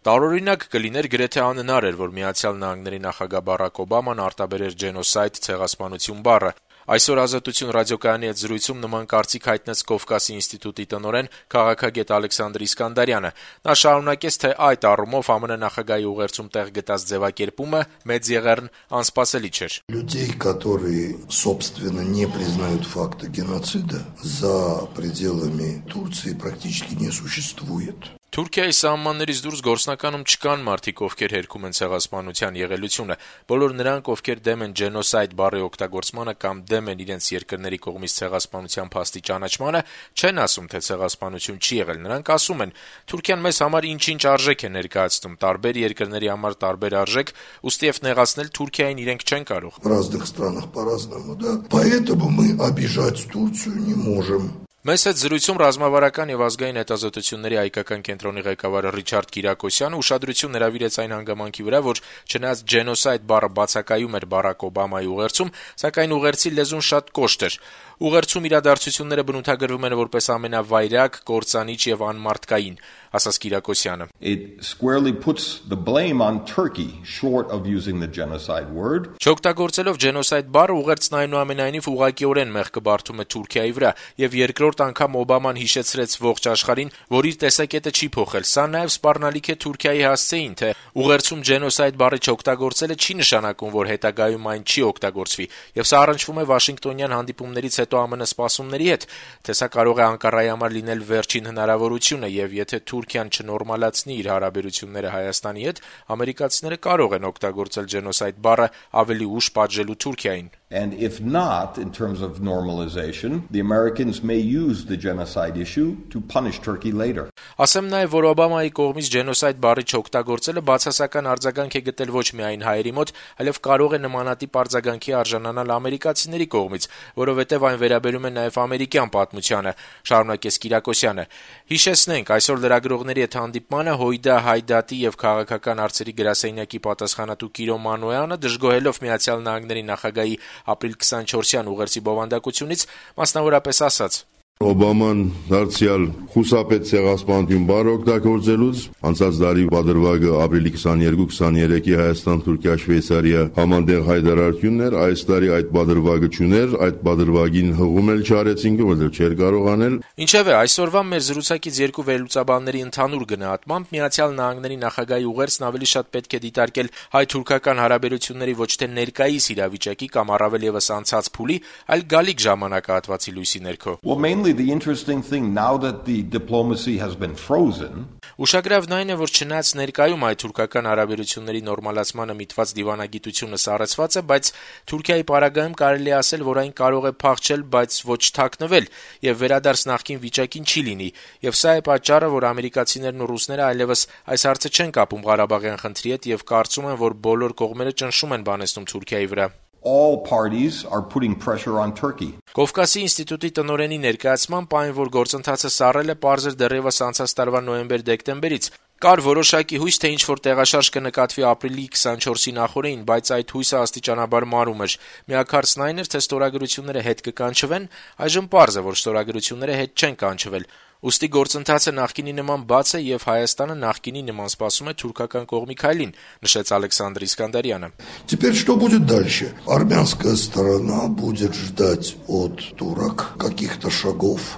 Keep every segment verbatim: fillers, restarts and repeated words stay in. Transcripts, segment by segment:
Տարօրինակ կլիներ, գրեթե անհնար էր, որ Միացյալ Նահանգների նախագահ Բարակ Օբաման արտաբերեր «ջենոսայդ» ցեղասպանություն բառը։ Այսօր «Ազատություն» ռադիոկայանի հետ զրույցում նման կարծիք հայտնեց Կովկասի ինստիտուտի տնօրեն, քաղաքագետ Ալեքսանդր Իսկանդարյանը։ Նա շարունակեց, թե այդ առումով ԱՄՆ նախագահի ուղերձում տեղ գտած ձևակերպումը մեծ եղեռն անսպասելի չէր։ Людей, которые, собственно, не признают факта геноцида, за пределами Турции практически не существует. Թուրքիայի սահմաններից դուրս գործնականում չկան մարդիկ, ովքեր հերքում են ցեղասպանության եղելությունը։ Բոլոր նրանք, ովքեր դեմ են «ջենոսայդ» բառի օգտագործմանը կամ դեմ են իրենց երկրների կողմից ցեղասպանության փաստի ճանաչմանը, չեն ասում, թե ցեղասպանություն չի եղել։ Նրանք ասում են. «Թուրքիան մեզ համար ինչ-ինչ արժեք է ներկայացնում, տարբեր երկրների համար տարբեր արժեք, ուստի եւ նեղացնել Թուրքիային իրենք չեն կարող»։ В разных странах по-разному, да? Поэтому мы обижать Турцию не можем. Մեզ հետ զրույցում ռազմավարական եւ ազգային հետազոտությունների հայկական կենտրոնի ղեկավար Ռիչարդ Կիրակոսյանը ուշադրություն հրավիրեց այն հանգամանքի վրա, որ չնայած «ջենոսայդ» բառը բացակայում էր Բարակ Օբամայի ուղերձում, սակայն ուղերձի լեզուն շատ կոշտ էր։ Ուղերձում իրադարձությունները բնութագրվում են որպես ամենավայրակ, կործանիչ եւ անմարդկային, ասաց Կիրակոսյանը։ It squarely puts the blame on Turkey short of using the genocide word. Չօգտագործելով «ջենոսայդ» բառը ուղերձն այնուամենայնիվ ուղղակիորեն մեղքը բարդում է Թուրքիայի վրա եւ երկրորդ անգամ Օբաման հիշեցրեց ողջ աշխարհին, որ իր տեսակետը չի փոխել։ Սա նաեւ սպառնալիք է Թուրքիայի հասցեին, թե ուղերձում «ջենոսայդ» բառը չօգտագործելը չի նշանակում, որ հետագայում այն չի օգտագործվի, եւ սա առնչվում է Վաշինգտոնյան հանդիպումներից հետո ԱՄՆ սպասումների հետ, թե սա կարող է Անկարայի համար լինել վերջին հնարավորությունը, եւ եթե Թուրքիան չնորմալացնի իր հարաբերությունները Հայաստանի հետ, ամերիկացիները կարող են օգտագործել «ջենոսայդ» բառը ավելի ուշ պատժելու Թուրքիային։ And if not, in terms of normalization, the Americans may use the genocide issue to punish Turkey later. Ասեմ նաև, որ Օբամայի կողմից «ջենոսայդ» բառի չօգտագործելը բացասական արձագանք է գտել ոչ միայն հայերի մոտ, այլև կարող է նմանատիպ արձագանքի արժանանալ ամերիկացիների կողմից, որովհետև այն վերաբերում է նաև ամերիկյան պատմությանը, շարունակեց Կիրակոսյանը։ Հիշեցնենք, այսօր լրագրողների հետ հանդիպմանը Հույդա Հայդատի եւ քաղաքական հարցերի գրասենյակի պատասխանատու Կիրո Մանոյանը, դժգոհելով Միացյալ Նահանգների նախագահի ապրիլ քսանչորսյան ուղերձի բովանդակությունից, մասնավորապես ասաց. Օբաման դարձյալ խուսափեց ցեղասպանություն բառը օգտագործելուց, անցած տարի պատրվագը ապրիլի քսաներկու քսաներեքի Հայաստան-Թուրքիա-Շվեյցարիա համանդեղ հայտարարությունն էր, այս տարի այդ պատրվագը չուներ, այդ պատրվագին հղում էլ չարեցինք, որովհետև չէր կարող անել։ Ինչևէ, այսօրվա մեր զրուցակից երկու վերլուծաբանների ընդհանուր գնահատմամբ Միացյալ Նահանգների նախագահի ուղերձն ավելի շատ պետք է դիտարկել հայ-թուրքական հարաբերությունների ոչ թե ներկայիս իրավիճակի կամ առավել եւս անցած փուլի, այլ գալիք ժամանակահատվածի լույսի ներքո։ Well, mainly the interesting thing now that the diplomacy has been frozen. Ուշագրավն այն է, որ չնայած ներկայում հայ-թուրքական հարաբերությունների նորմալացմանը միտված դիվանագիտությունը սառեցված է, բայց Թուրքիայի պարագայում կարելի է ասել, որ այն կարող է փախչել, բայց ոչ թաքնվել, եւ վերադարձ նախկին վիճակին չի լինի, եւ սա է պատճառը, որ ամերիկացիներն ու ռուսները այլևս այս հարցը չեն կապում Ղարաբաղյան խնդրի հետ եւ կարծում են, որ բոլոր կողմերը ճնշում են բանեցնում Թուրքիայի վրա։ All parties are putting pressure on Turkey. Կովկասի ինստիտուտի տնօրենի ներկայացմամբ այն, որ գործընթացը սառել է, պարզ էր դեռևս անցած տարվա նոյեմբեր-դեկտեմբերից։ Կար որոշակի հույս, թե ինչ-որ տեղաշարժ կնկատվի ապրիլի քսանչորսի նախօրեին, բայց այդ հույսը աստիճանաբար մարում էր։ Միակ հարցն այն էր, թե ստորագրությունները հետ կկանչվեն, այժմ պարզ է, որ ստորագրությունները հետ չեն կանչվել։ Ուստի գործընթացը նախկինի նման բաց է եւ Հայաստանը նախկինի նման սպասում է թուրքական կողմի քայլին, նշեց Ալեքսանդր Իսկանդարյանը։ Теперь что будет дальше? Армянская сторона будет ждать от турок каких-то шагов.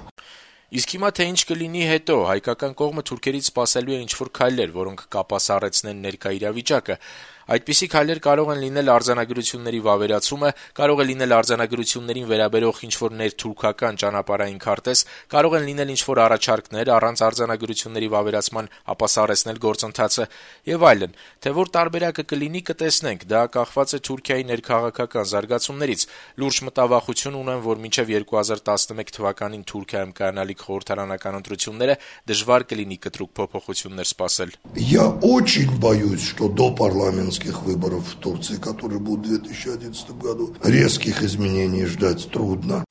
Իսկ հիմա թե ինչ կլինի հետո, հայկական կողմը թուրքերից սպասելու է ինչ-որ քայլեր, որոնք կապասառեցնեն ներկա իրավիճակը։ Այդպիսի քայլեր կարող են լինել արձանագրությունների վավերացումը, կարող է լինել արձանագրություններին վերաբերող ինչ-որ ներթուրքական ճանապարհային քարտեզ, կարող են լինել ինչ-որ առաջարկներ առանց արձանագրությունների վավերացման ապասառեցնել գործընթացը եւ այլն։ Թե որ տարբերակը կլինի, կտեսնենք, դա կախված է Թուրքիայի ներքաղաքական զարգացումներից։ Լուրջ մտավախություն ունեմ, որ մինչեւ երկու հազար տասնմեկ թվականին Թուրքիայում կայանալիք խորհրդարանական ընտրությունները դժվար կլինի կտրուկ փոփոխություններ սպասել։ Я очень боюсь, что до парламентских выборов в Турции, которые будут в две тысячи одиннадцатом году, резких изменений ждать трудно.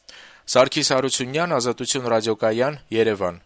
Սարգիս Հարությունյան, Ազատություն ռադիոկայան, Երևան։